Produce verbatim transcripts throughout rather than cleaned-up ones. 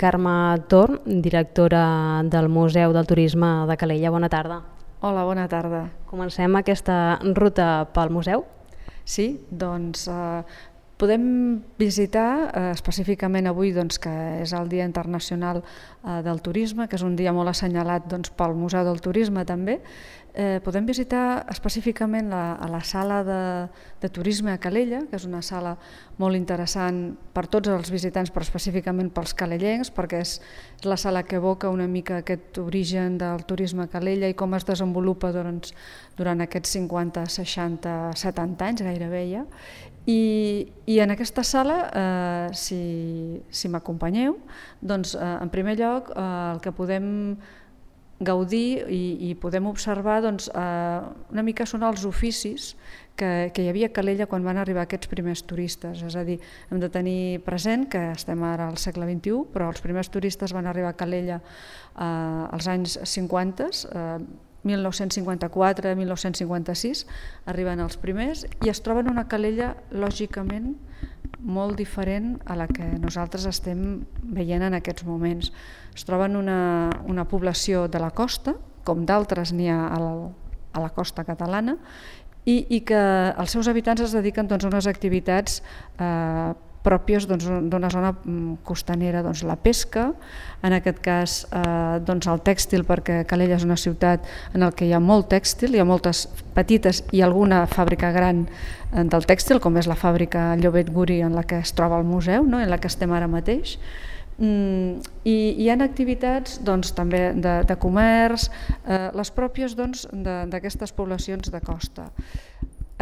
Carme Torn, directora del Museu del Turisme de Calella. Bona tarda. Hola, bona tarda. Comencem aquesta ruta pel museu? Sí, doncs eh, podem visitar eh, específicament avui, doncs, que és el Dia Internacional eh, del Turisme, que és un dia molt assenyalat doncs, pel Museu del Turisme també. Eh, podem visitar específicament la, a la sala de, de turisme a Calella, que és una sala molt interessant per tots els visitants, però específicament pels calellencs, perquè és, és la sala que evoca una mica aquest origen del turisme a Calella i com es desenvolupa doncs, durant aquests cinquanta, seixanta, setanta anys gairebé ja. I, i en aquesta sala, eh, si, si m'acompanyeu, doncs eh, en primer lloc eh, el que podem gaudir i, i podem observar doncs, eh, una mica són els oficis que, que hi havia a Calella quan van arribar aquests primers turistes. És a dir, hem de tenir present que estem ara al segle vint-i-u, però els primers turistes van arribar a Calella eh, als anys cinquanta, eh, mil nou-cents cinquanta-quatre a mil nou-cents cinquanta-sis, arriben els primers i es troben una Calella lògicament molt diferent a la que nosaltres estem veient en aquests moments. Es troben una, una població de la costa, com d'altres n'hi ha a la, a la costa catalana, i, i que els seus habitants es dediquen doncs, a unes activitats eh, pròpies doncs, d'una zona costanera, doncs, la pesca, en aquest cas eh, doncs, el tèxtil, perquè Calella és una ciutat en la que hi ha molt tèxtil, hi ha moltes petites i alguna fàbrica gran del tèxtil, com és la fàbrica Llobet Guri en la que es troba el museu, no? En la que estem ara mateix. Mm, i hi ha activitats doncs, també de, de comerç, eh, les pròpies doncs, d'aquestes poblacions de costa.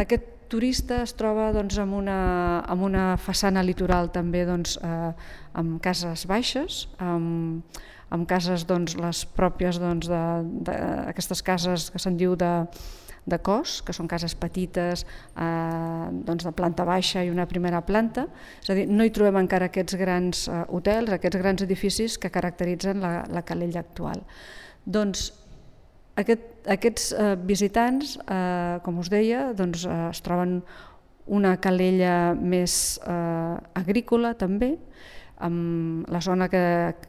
Aquest turista es troba doncs, amb, una, amb una façana litoral també doncs, eh, amb cases baixes, amb, amb cases doncs, les pròpies doncs, de, de, aquestes cases que se'n diu de, de cos, que són cases petites eh, doncs, de planta baixa i una primera planta. És a dir, no hi trobem encara aquests grans eh, hotels, aquests grans edificis que caracteritzen la, la Calella actual. Doncs Aquest, aquests eh, visitants, eh, com us deia, doncs, eh, es troben una Calella més eh, agrícola també, amb la zona que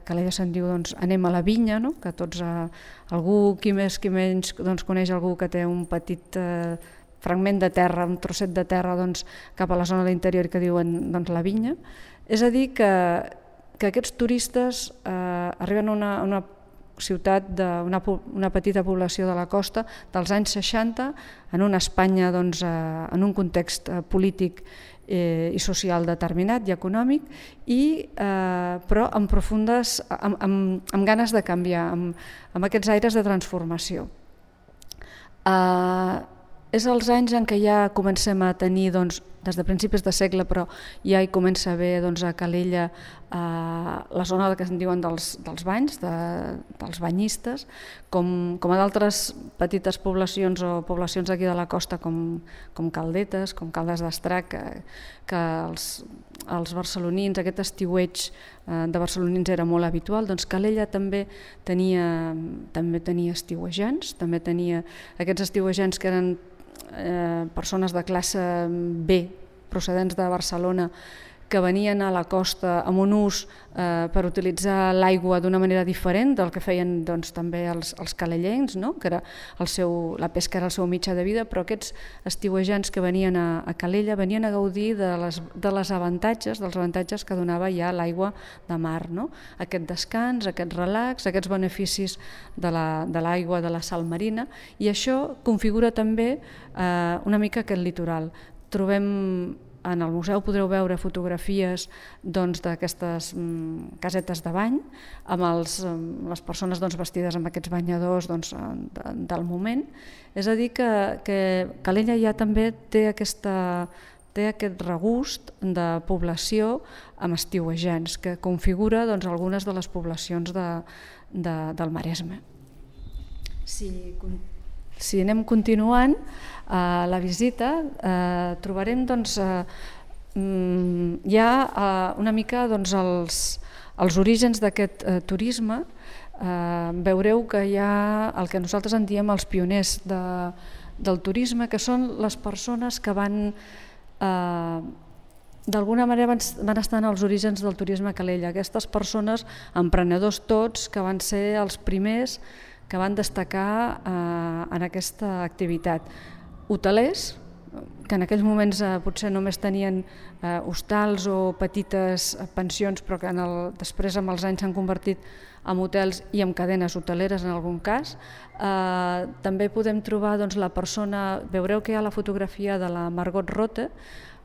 Calella se'n diu doncs, anem a la vinya, no? Que tots, eh, algú qui més qui menys doncs, coneix algú que té un petit eh, fragment de terra, un trosset de terra doncs, cap a la zona de l'interior que diuen doncs, la vinya. És a dir que, que aquests turistes eh, arriben a una, una ciutat d'una una petita població de la costa dels anys seixanta, en una Espanya doncs, eh, en un context eh, polític eh, i social determinat i econòmic, i, eh, però amb profundes, amb, amb, amb ganes de canviar, amb, amb aquests aires de transformació. Eh, és els anys en què ja comencem a tenir, doncs, des de principis de segle, però ja hi comença a haver doncs, a Calella eh, la zona que se'n diuen dels, dels banys, de, dels banyistes, com, com a d'altres petites poblacions o poblacions aquí de la costa com, com Caldetes, com Caldes d'Estrac, que, que els, els barcelonins, aquest estiueig eh, de barcelonins era molt habitual. Doncs Calella també tenia, també tenia estiuejants, també tenia aquests estiuejants que eren Eh, persones de classe B procedents de Barcelona que venien a la costa amb un ús eh, per utilitzar l'aigua d'una manera diferent del que feien doncs, també els, els calellencs, no? Que era el seu, la pesca era el seu mitjà de vida, però aquests estiuejants que venien a, a Calella venien a gaudir de les, de les avantatges, dels avantatges que donava ja l'aigua de mar, no? Aquest descans, aquest relax, aquests beneficis de l'aigua, de, de la sal marina, i això configura també eh, una mica aquest litoral. Trobem en el museu podreu veure fotografies doncs, d'aquestes mm, casetes de bany amb els, les persones doncs, vestides amb aquests banyadors doncs, de, del moment. És a dir que, que Calella ja també té, aquesta, té aquest regust de població amb estiuejants que configura doncs, algunes de les poblacions de, de, del Maresme. Si Si anem continuant eh, la visita, eh, trobarem doncs, eh, ja eh, una mica doncs, els, els orígens d'aquest eh, turisme. Eh, veureu que hi ha el que nosaltres en diem els pioners de, del turisme, que són les persones que van eh, d'alguna manera van, van estar en els orígens del turisme a Calella. Aquestes persones, emprenedors tots, que van ser els primers que van destacar eh, en aquesta activitat. Hotelers, que en aquells moments eh, potser només tenien eh, hostals o petites pensions, però que en el, després amb els anys s'han convertit en hotels i en cadenes hoteleres en algun cas. Eh, també podem trobar doncs, la persona, veureu que hi ha la fotografia de la Margot Rothe,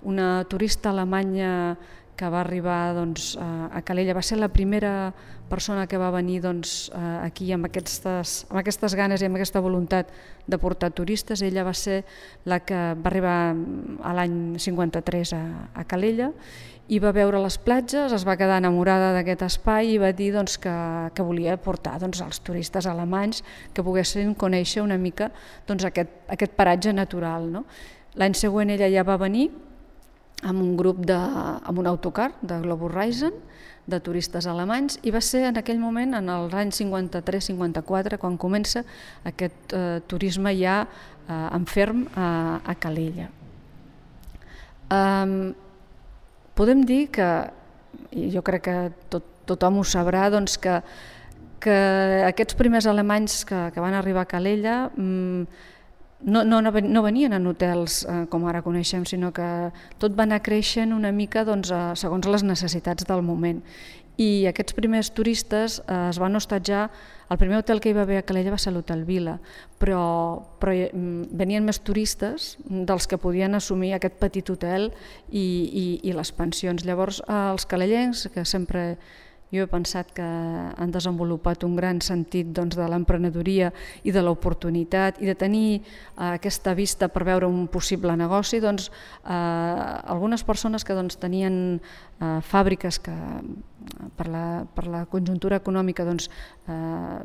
una turista alemanya que va arribar doncs, a Calella, va ser la primera persona que va venir doncs, aquí amb aquestes, amb aquestes ganes i amb aquesta voluntat de portar turistes. Ella va ser la que va arribar a l'any cinquanta-tres a, a Calella i va veure les platges, es va quedar enamorada d'aquest espai i va dir doncs, que, que volia portar doncs, els turistes alemanys que poguessin conèixer una mica doncs, aquest, aquest paratge natural. No? L'any següent ella ja va venir amb un grup, de, amb un autocar de Globus Reisen, de turistes alemanys, i va ser en aquell moment, en els anys cinquanta-tres cinquanta-quatre, quan comença aquest eh, turisme ja eh, en ferm a, a Calella. Um, podem dir que, i jo crec que tot, tothom ho sabrà, doncs que, que aquests primers alemanys que, que van arribar a Calella mm, No, no, no venien en hotels eh, com ara coneixem, sinó que tot va anar creixent una mica doncs, eh, segons les necessitats del moment. I aquests primers turistes eh, es van hostatjar, el primer hotel que hi va haver a Calella va ser l'Hotel Vila, però, però venien més turistes dels que podien assumir aquest petit hotel i, i, i les pensions. Llavors eh, els calellencs, que sempre jo he pensat que han desenvolupat un gran sentit doncs, de l'emprenedoria i de l'oportunitat i de tenir eh, aquesta vista per veure un possible negoci, doncs, eh, algunes persones que doncs, tenien eh, fàbriques que per la, per la conjuntura econòmica doncs, eh,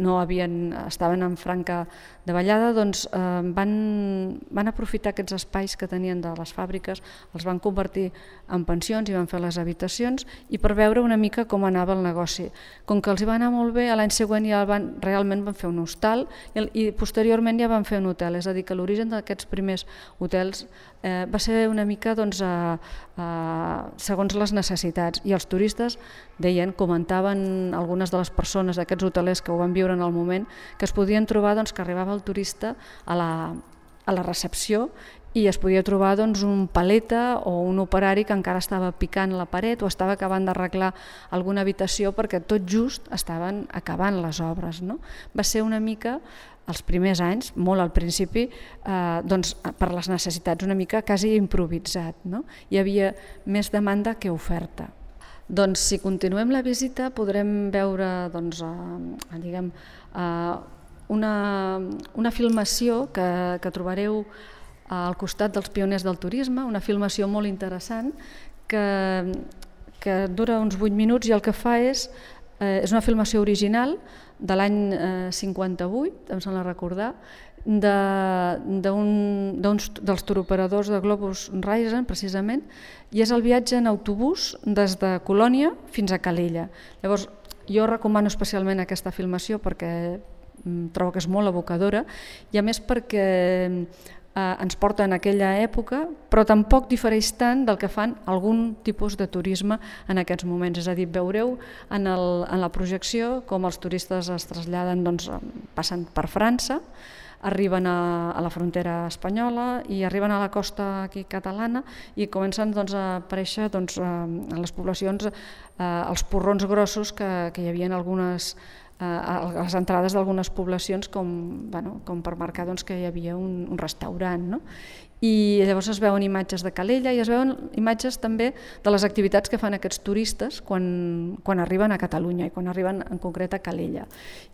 no havien, estaven en franca davallada, doncs, eh, van, van aprofitar aquests espais que tenien de les fàbriques, els van convertir en pensions i van fer les habitacions i per veure una mica com anava el negoci. Com que els hi va anar molt bé, l'any següent ja van, realment van fer un hostal i, i posteriorment ja van fer un hotel, és a dir, que l'origen d'aquests primers hotels eh, va ser una mica doncs, a, a, segons les necessitats i els turistes deien, comentaven algunes de les persones d'aquests hotelers que ho van viure en el moment, que es podien trobar doncs, que arribava el turista a la, a la recepció i es podia trobar doncs, un paleta o un operari que encara estava picant la paret o estava acabant d'arreglar alguna habitació perquè tot just estaven acabant les obres. No? Va ser una mica, els primers anys, molt al principi, eh, doncs, per les necessitats una mica quasi improvisat. No? Hi havia més demanda que oferta. Doncs si continuem la visita podrem veure doncs, eh, diguem, eh, una, una filmació que, que trobareu al costat dels pioners del turisme, una filmació molt interessant que, que dura uns vuit minuts i el que fa és, eh, és una filmació original de l'any eh, cinquanta-vuit, em sembla recordar, de, d'un, d'uns dels turoperadors de Globus Reisen, precisament, i és el viatge en autobús des de Colònia fins a Calella. Llavors, jo recomano especialment aquesta filmació perquè trobo que és molt evocadora i a més perquè ens porta en aquella època, però tampoc difereix tant del que fan algun tipus de turisme en aquests moments. És a dir, veureu en, el, en la projecció com els turistes es traslladen, doncs, passen per França, arriben a, a la frontera espanyola i arriben a la costa aquí catalana i comencen doncs, a aparèixer doncs, en les poblacions eh, els porrons grossos que, que hi havia en algunes a les entrades d'algunes poblacions com, bueno, com per marcar doncs, que hi havia un, un restaurant. No? I llavors es veuen imatges de Calella i es veuen imatges també de les activitats que fan aquests turistes quan, quan arriben a Catalunya i quan arriben en concret a Calella.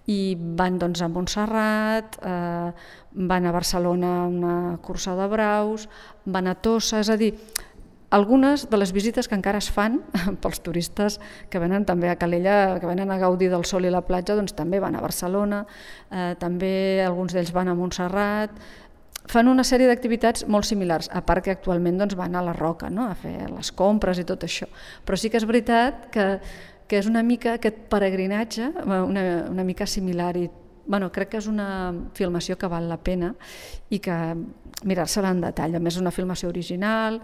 I van doncs, a Montserrat, eh, van a Barcelona a una cursa de braus, van a Tossa, és a dir, algunes de les visites que encara es fan pels turistes que venen també a Calella, que venen a gaudir del sol i la platja, doncs també van a Barcelona, eh, també alguns d'ells van a Montserrat, fan una sèrie d'activitats molt similars, a part que actualment doncs, van a la Roca, no? A fer les compres i tot això. Però sí que és veritat que, que és una mica aquest peregrinatge, una, una mica similar i bueno, crec que és una filmació que val la pena i que mirar-se-la en detall. A més, és una filmació original,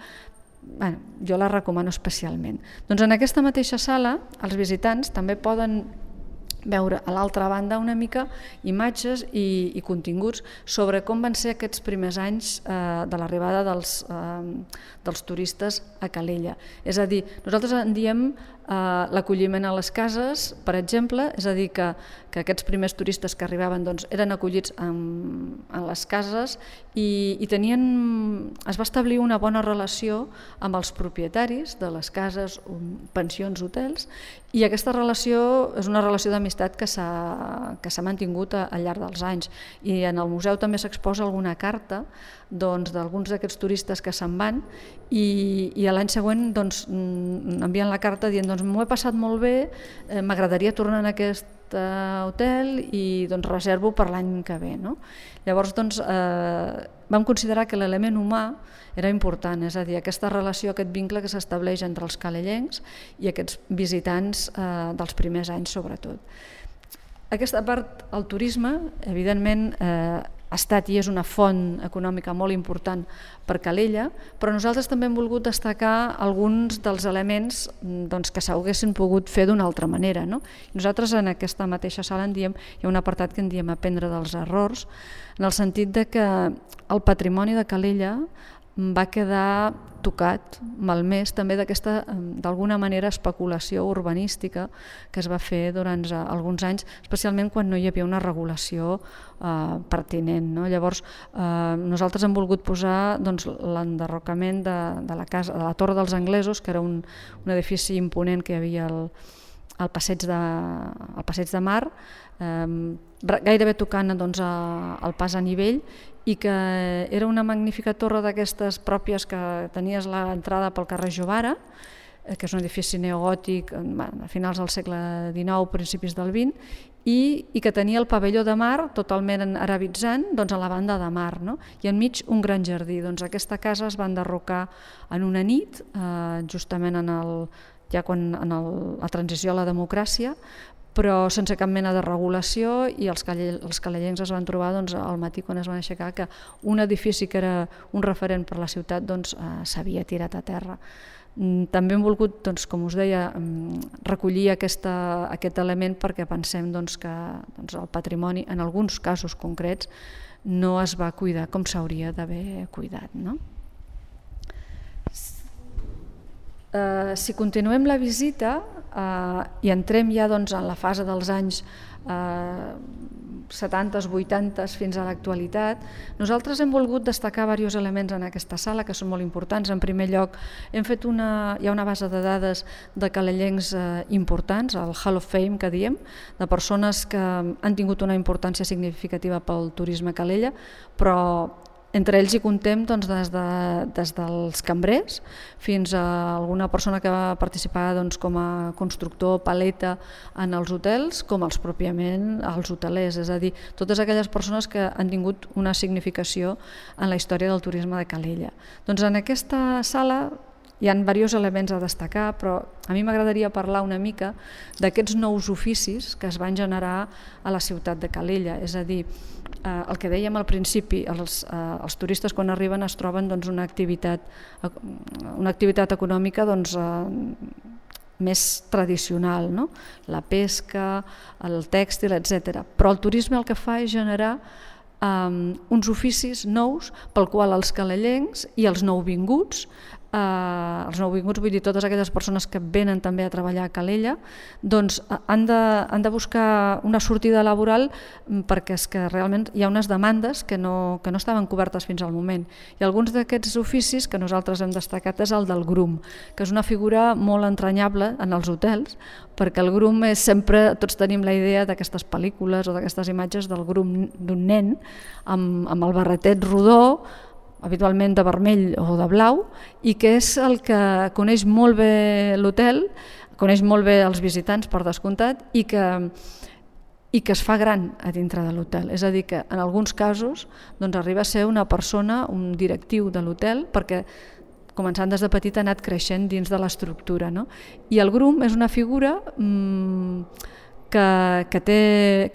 bueno, jo la recomano especialment. Doncs en aquesta mateixa sala els visitants també poden veure a l'altra banda una mica imatges i, i continguts sobre com van ser aquests primers anys eh, de l'arribada dels, eh, dels turistes a Calella. És a dir, nosaltres en diem eh, l'acolliment a les cases, per exemple, és a dir, que, que aquests primers turistes que arribaven doncs, eren acollits en, en les cases i, i tenien, es va establir una bona relació amb els propietaris de les cases, pensions, hotels, i aquesta relació és una relació d'amistat que s'ha que s'ha mantingut al llarg dels anys. I en el museu també s'exposa alguna carta doncs, d'alguns d'aquests turistes que se'n van i, i l'any següent doncs, envien la carta dient doncs, m'ho he passat molt bé, eh, m'agradaria tornar en aquest hotel i doncs, reservo per l'any que ve. No? Llavors doncs, eh, vam considerar que l'element humà era important, és a dir, aquesta relació, aquest vincle que s'estableix entre els calellencs i aquests visitants eh, dels primers anys sobretot. Aquesta part, el turisme, evidentment, eh, ha estat i és una font econòmica molt important per Calella, però nosaltres també hem volgut destacar alguns dels elements doncs, que s'haguessin pogut fer d'una altra manera. No? Nosaltres en aquesta mateixa sala en diem, hi ha un apartat que en diem aprendre dels errors, en el sentit de que el patrimoni de Calella va quedar tocat, malmès també d'aquesta, d'alguna manera, especulació urbanística que es va fer durant alguns anys, especialment quan no hi havia una regulació eh, pertinent. No? Llavors, eh, nosaltres hem volgut posar doncs, l'enderrocament de, de la casa, de la Torre dels Anglesos, que era un, un edifici imponent que hi havia al, al passeig de, al passeig de Mar, eh, gairebé tocant doncs, a, al pas a nivell, i que era una magnífica torre d'aquestes pròpies que tenies l'entrada pel carrer Jovara, que és un edifici neogòtic a finals del segle dinou, principis del vint, i, i que tenia el pavelló de mar totalment arabitzant doncs, a la banda de mar, no? I enmig un gran jardí. Doncs aquesta casa es va enderrocar en una nit, eh, justament en, el, ja quan, en el, la transició a la democràcia, però sense cap mena de regulació, i els, calle, els calellencs es van trobar doncs, al matí quan es van aixecar que un edifici que era un referent per la ciutat doncs, eh, s'havia tirat a terra. També hem volgut, doncs, com us deia, recollir aquesta, aquest element perquè pensem doncs, que doncs, el patrimoni, en alguns casos concrets, no es va cuidar com s'hauria d'haver cuidat. No? Uh, si continuem la visita uh, i entrem ja doncs, en la fase dels anys uh, setanta, vuitanta fins a l'actualitat, nosaltres hem volgut destacar diversos elements en aquesta sala que són molt importants. En primer lloc, hem fet una, hi ha una base de dades de calellencs uh, importants, el Hall of Fame que diem, de persones que han tingut una importància significativa pel turisme a Calella, però entre ells hi contem doncs, des, de, des dels cambrers fins a alguna persona que va participar doncs, com a constructor, paleta en els hotels, com els pròpiament els hotelers, és a dir, totes aquelles persones que han tingut una significació en la història del turisme de Calella. Doncs en aquesta sala hi ha diversos elements a destacar, però a mi m'agradaria parlar una mica d'aquests nous oficis que es van generar a la ciutat de Calella, és a dir, eh, el que dèiem al principi, els, eh, els turistes quan arriben es troben doncs, una, activitat, una activitat econòmica doncs, eh, més tradicional, no? La pesca, el tèxtil, etcètera. Però el turisme el que fa és generar um, uns oficis nous pel qual els calellencs i els nouvinguts, Uh, els nouvinguts, vull dir totes aquelles persones que venen també a treballar a Calella, doncs han de, han de buscar una sortida laboral perquè és que realment hi ha unes demandes que no, que no estaven cobertes fins al moment. I alguns d'aquests oficis que nosaltres hem destacat és el del grum, que és una figura molt entranyable en els hotels, perquè el grum és sempre, tots tenim la idea d'aquestes pel·lícules o d'aquestes imatges del grum d'un nen amb, amb el barretet rodó, habitualment de vermell o de blau, i que és el que coneix molt bé l'hotel, coneix molt bé els visitants per descomptat, i que, i que es fa gran a dintre de l'hotel. És a dir, que en alguns casos doncs, arriba a ser una persona, un directiu de l'hotel, perquè començant des de petit ha anat creixent dins de l'estructura. No? I el grum és una figura mmm, que, que, té,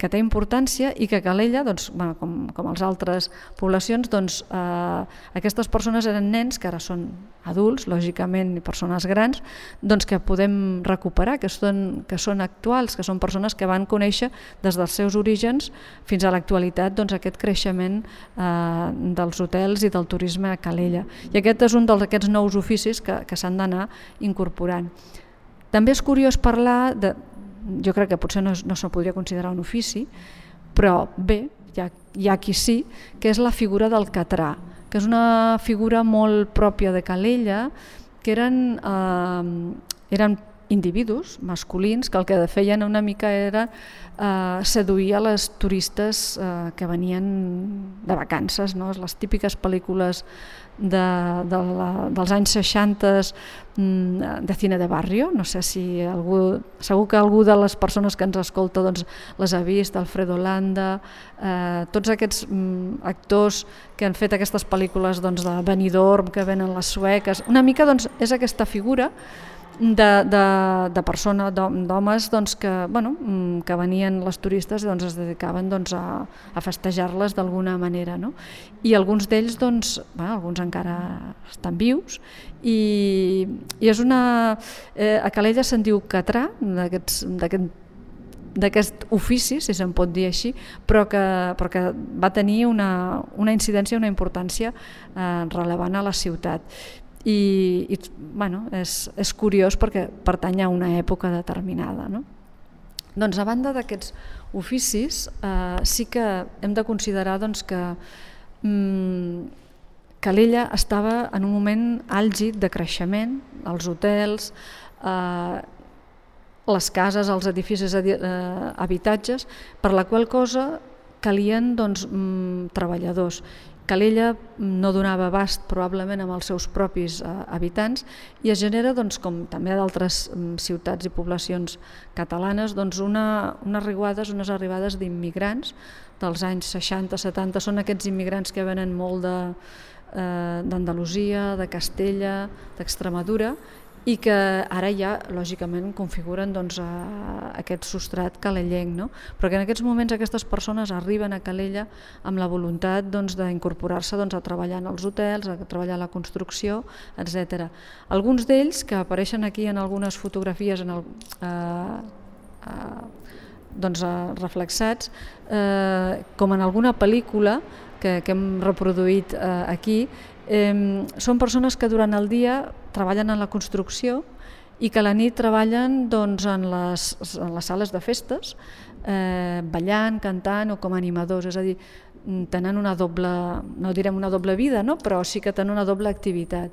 que té importància i que Calella, doncs, bueno, com, com les altres poblacions, doncs, eh, aquestes persones eren nens que ara són adults, lògicament, i persones grans, doncs, que podem recuperar, que són, que són actuals, que són persones que van conèixer des dels seus orígens fins a l'actualitat doncs, aquest creixement eh, dels hotels i del turisme a Calella. I aquest és un d'aquests nous oficis que, que s'han d'anar incorporant. També és curiós parlar de... Jo crec que potser no, no se podria considerar un ofici, però bé, hi ha, hi ha qui sí, que és la figura del catrà, que és una figura molt pròpia de Calella, que eren, eh, eren individus masculins que el que feien una mica era eh, seduir a les turistes eh, que venien de vacances, no? Les típiques pel·lícules de, de la, dels anys seixanta de cine de barrio, no sé si algú, segur que algú de les persones que ens escolta doncs, les ha vist, Alfredo Landa, eh, tots aquests mm, actors que han fet aquestes pel·lícules doncs, de Benidorm, que venen les sueques, una mica doncs, és aquesta figura de, de, de persona, d'homes doncs, que, bueno, que venien les turistes i doncs, es dedicaven doncs, a, a festejar-les d'alguna manera, no? I alguns d'ells doncs, bueno, alguns encara estan vius i, i és una... Eh, a Calella se'n diu catrà, d'aquest d'aquest ofici, si se'n pot dir així, però que, però que va tenir una, una incidència, una importància eh, rellevant a la ciutat. I, i bueno, és, és curiós perquè pertany a una època determinada, no? Doncs a banda d'aquests oficis eh, sí que hem de considerar doncs, que mm, Calella estava en un moment àlgid de creixement, els hotels, eh, les cases, els edificis, eh, habitatges, per la qual cosa calien doncs, mm, treballadors. Calella no donava abast probablement amb els seus propis eh, habitants i es genera, doncs, com també a d'altres mm, ciutats i poblacions catalanes, doncs una, unes arribades, unes arribades d'immigrants dels anys seixanta setanta, són aquests immigrants que venen molt de, eh, d'Andalusia, de Castella, d'Extremadura, i que ara ja, lògicament, configuren doncs, a aquest substrat calellenc, no? Però que en aquests moments aquestes persones arriben a Calella amb la voluntat doncs, d'incorporar-se doncs, a treballar en els hotels, a treballar a la construcció, etcètera. Alguns d'ells, que apareixen aquí en algunes fotografies en el, eh, eh, doncs, eh, reflexats, eh, com en alguna pel·lícula que, que hem reproduït eh, aquí, Eh, són persones que durant el dia treballen en la construcció i que a la nit treballen doncs, en, les, en les sales de festes, eh, ballant, cantant o com a animadors, és a dir, tenen una doble, no direm una doble vida, no? Però sí que tenen una doble activitat.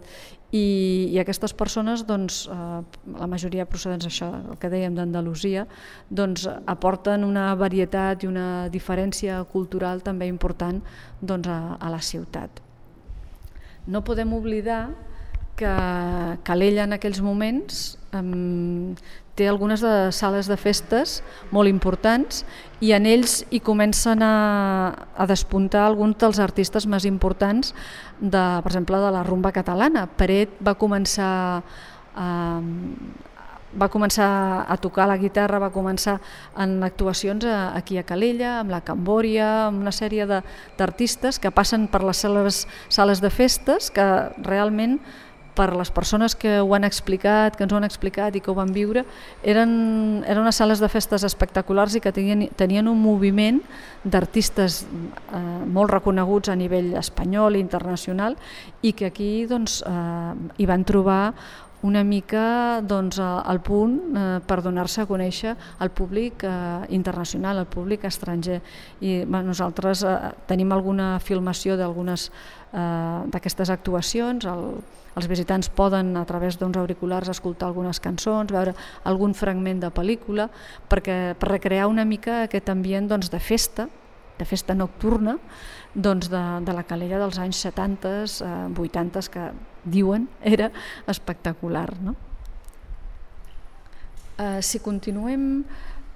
I, i aquestes persones, doncs, eh, la majoria procedents això, el que dèiem d'Andalusia, doncs, aporten una varietat i una diferència cultural també important doncs, a, a la ciutat. No podem oblidar que Calella en aquells moments um, té algunes de sales de festes molt importants i en ells hi comencen a, a despuntar alguns dels artistes més importants, de, per exemple, de la rumba catalana. Peret va començar a, va començar a tocar la guitarra, va començar en actuacions aquí a Calella, amb la Cambòria, amb una sèrie d'artistes que passen per les sales, sales de festes, que realment per les persones que ho han explicat, que ens ho han explicat i que ho van viure, eren, eren unes sales de festes espectaculars i que tenien, tenien un moviment d'artistes eh, molt reconeguts a nivell espanyol i internacional i que aquí doncs, eh, hi van trobar una mica doncs, al punt eh, per donar-se a conèixer al públic eh, internacional, al públic estranger. I bueno, nosaltres eh, tenim alguna filmació d'algunes eh, d'aquestes actuacions, el, els visitants poden a través d'uns auriculars escoltar algunes cançons, veure algun fragment de pel·lícula, perquè, per recrear una mica aquest ambient doncs, de festa, de festa nocturna, doncs de, de la Calella dels anys setanta, eh, vuitanta, que diuen era espectacular. No? Eh, si continuem,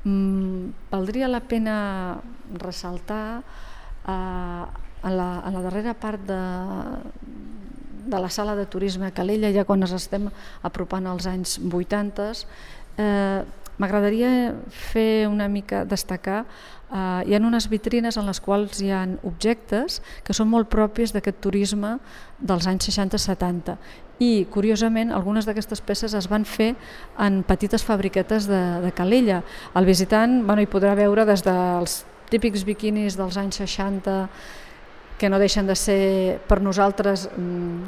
mm, valdria la pena ressaltar eh, a, la, a la darrera part de, de la sala de turisme a Calella, ja quan ens estem apropant als anys vuitanta, eh, m'agradaria fer una mica, destacar, eh, hi ha unes vitrines en les quals hi ha objectes que són molt propis d'aquest turisme dels anys seixanta setanta i, curiosament, algunes d'aquestes peces es van fer en petites fabriquetes de, de Calella. El visitant bueno, hi podrà veure des dels típics biquinis dels anys seixanta, que no deixen de ser per nosaltres mmm,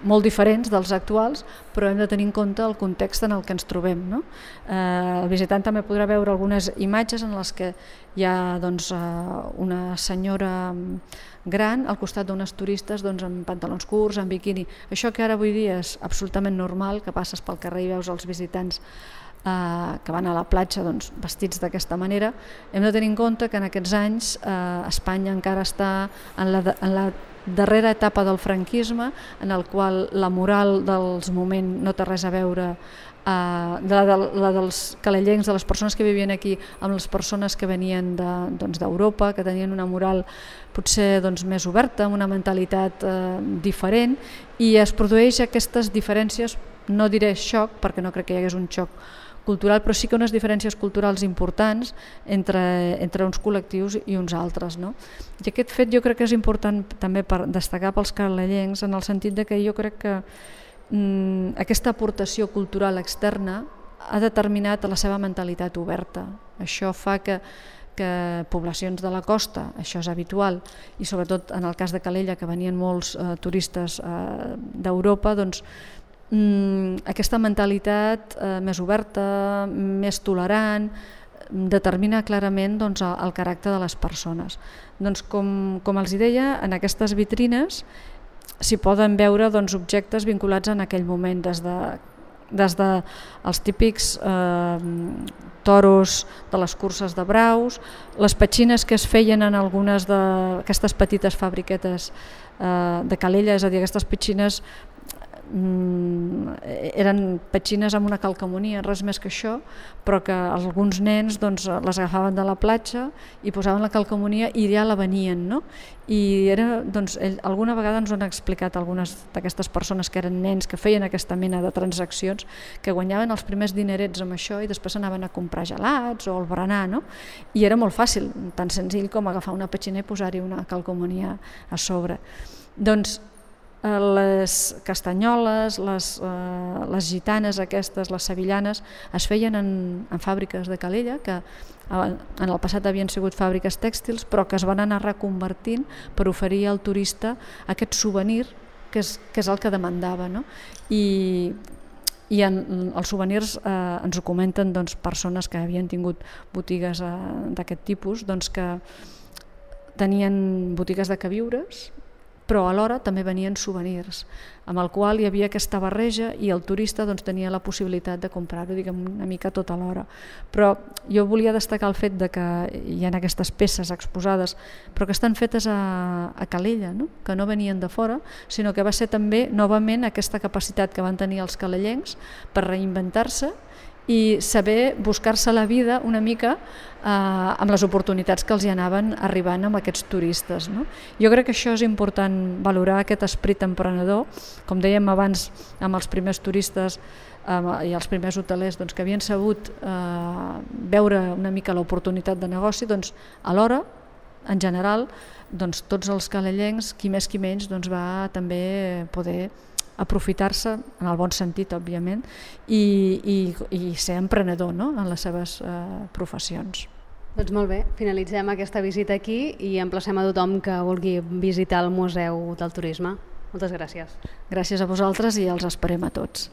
molt diferents dels actuals, però hem de tenir en compte el context en el que ens trobem, no? Eh, el visitant també podrà veure algunes imatges en les que hi ha doncs, una senyora gran al costat d'unes turistes doncs, amb pantalons curts, amb biquini. Això que ara avui dia és absolutament normal, que passes pel carrer i veus els visitants eh, que van a la platja doncs, vestits d'aquesta manera, hem de tenir en compte que en aquests anys eh, Espanya encara està en la, en la darrera etapa del franquisme, en el qual la moral dels moments no té res a veure eh, de la, de, la dels calellencs, de les persones que vivien aquí, amb les persones que venien d'Europa, de, doncs, que tenien una moral potser doncs, més oberta, amb una mentalitat eh, diferent, i es produeix aquestes diferències, no diré xoc, perquè no crec que hi hagués un xoc cultural, però sí que unes diferències culturals importants entre, entre uns col·lectius i uns altres, no? I aquest fet jo crec que és important també per destacar pels calellencs, en el sentit de que jo crec que mm, aquesta aportació cultural externa ha determinat la seva mentalitat oberta. Això fa que, que poblacions de la costa, això és habitual, i sobretot en el cas de Calella, que venien molts eh, turistes eh, d'Europa, doncs Mm, aquesta mentalitat eh, més oberta, més tolerant, determina clarament doncs, el, el caràcter de les persones. Doncs, com, com els deia, en aquestes vitrines s'hi poden veure doncs, objectes vinculats en aquell moment, des de, des de els típics eh, toros de les curses de braus, les petxines que es feien en algunes d'aquestes petites fabriquetes eh, de Calella, és a dir, aquestes petxines eren petxines amb una calcamonia, res més que això, però que alguns nens doncs, les agafaven de la platja i posaven la calcamonia i ja la venien, no? I era, doncs, ell, alguna vegada ens ho han explicat algunes d'aquestes persones que eren nens que feien aquesta mena de transaccions, que guanyaven els primers dinerets amb això i després anaven a comprar gelats o al berenar, no? I era molt fàcil, tan senzill com agafar una petxina i posar-hi una calcamonia a sobre. Doncs les castanyoles, les, eh, les gitanes aquestes, les sevillanes, es feien en, en fàbriques de Calella, que en el passat havien sigut fàbriques tèxtils, però que es van anar reconvertint per oferir al turista aquest souvenir, que és, que és el que demandava, no? I, i en, els souvenirs eh, ens ho comenten doncs, persones que havien tingut botigues eh, d'aquest tipus, doncs, que tenien botigues de queviures, però alhora també venien souvenirs, amb el qual hi havia aquesta barreja i el turista doncs, tenia la possibilitat de comprar-ho diguem, una mica tot alhora. Però jo volia destacar el fet de que hi ha aquestes peces exposades, però que estan fetes a, a Calella, no? Que no venien de fora, sinó que va ser també novament aquesta capacitat que van tenir els calellencs per reinventar-se i saber buscar-se la vida una mica eh, amb les oportunitats que els hi anaven arribant amb aquests turistes, no? Jo crec que això és important, valorar aquest esperit emprenedor, com dèiem abans amb els primers turistes eh, i els primers hotelers doncs, que havien sabut eh, veure una mica l'oportunitat de negoci, doncs alhora, en general, doncs, tots els calellencs, qui més qui menys, doncs, va també poder aprofitar-se, en el bon sentit, òbviament, i, i, i ser emprenedor, no? En les seves eh, professions. Doncs molt bé, finalitzem aquesta visita aquí i emplacem a tothom que vulgui visitar el Museu del Turisme. Moltes gràcies. Gràcies a vosaltres i els esperem a tots.